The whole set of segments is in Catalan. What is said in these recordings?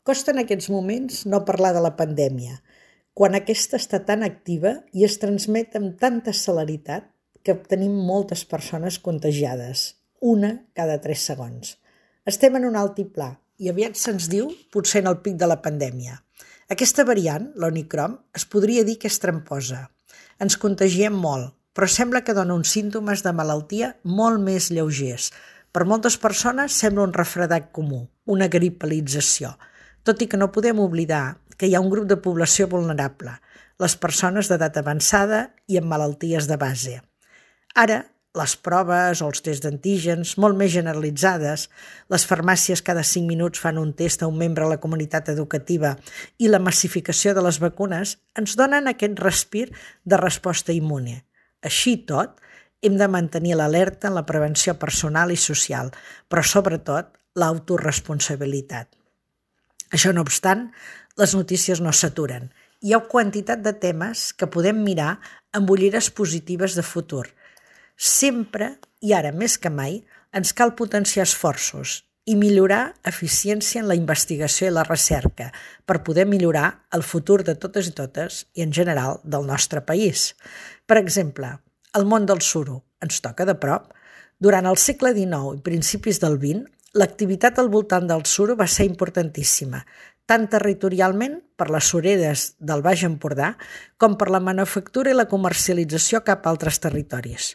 Costa en aquests moments no parlar de la pandèmia, quan aquesta està tan activa i es transmet amb tanta celeritat que tenim moltes persones contagiades, una cada 3 segons. Estem en un altiplà i aviat se'ns diu potser en el pic de la pandèmia. Aquesta variant, l'Omicron, es podria dir que és tramposa. Ens contagiem molt, però sembla que dona uns símptomes de malaltia molt més lleugers. Per moltes persones sembla un refredat comú, una gripalització, tot i que no podem oblidar que hi ha un grup de població vulnerable, les persones d'edat avançada i amb malalties de base. Ara, les proves o els tests d'antígens, molt més generalitzades, les farmàcies cada 5 minuts fan un test a un membre de la comunitat educativa i la massificació de les vacunes ens donen aquest respir de resposta immune. Així i tot, hem de mantenir l'alerta en la prevenció personal i social, però sobretot l'autoresponsabilitat. Això no obstant, les notícies no s'aturen. Hi ha quantitat de temes que podem mirar amb ulleres positives de futur. Sempre, i ara més que mai, ens cal potenciar esforços i millorar eficiència en la investigació i la recerca per poder millorar el futur de totes i totes i, en general, del nostre país. Per exemple, el món del suro ens toca de prop. Durant el segle XIX i principis del XX, l'activitat al voltant del suro va ser importantíssima, tant territorialment per les sureres del Baix Empordà com per la manufactura i la comercialització cap a altres territoris.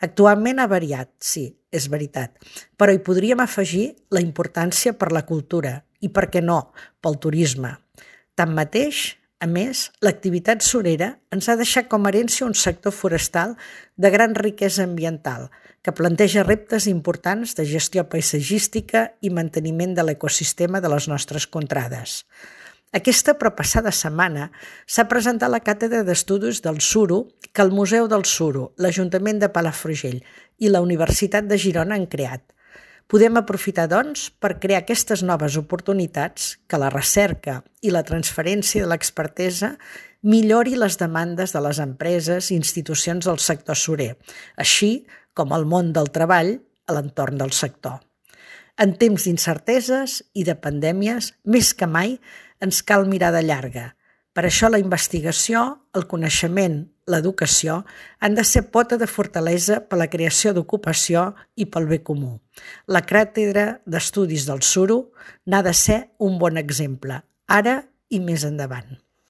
Actualment ha variat, sí, és veritat, però hi podríem afegir la importància per la cultura i, per què no, pel turisme. Tanmateix, a més, l'activitat surera ens ha deixat com a herència un sector forestal de gran riquesa ambiental que planteja reptes importants de gestió paisatgística i manteniment de l'ecosistema de les nostres contrades. Aquesta proppassada setmana s'ha presentat la Càtedra d'Estudis del Suro que el Museu del Suro, l'Ajuntament de Palafrugell i la Universitat de Girona han creat. Podem aprofitar, doncs, per crear aquestes noves oportunitats que la recerca i la transferència de l'expertesa millori les demandes de les empreses i institucions del sector surer, així com el món del treball a l'entorn del sector. En temps d'incerteses i de pandèmies, més que mai, ens cal mirada llarga. Per això la investigació, el coneixement, l'educació han de ser pota de fortalesa per la creació d'ocupació i pel bé comú. La Càtedra d'Estudis del Suro n'ha de ser un bon exemple, ara i més endavant.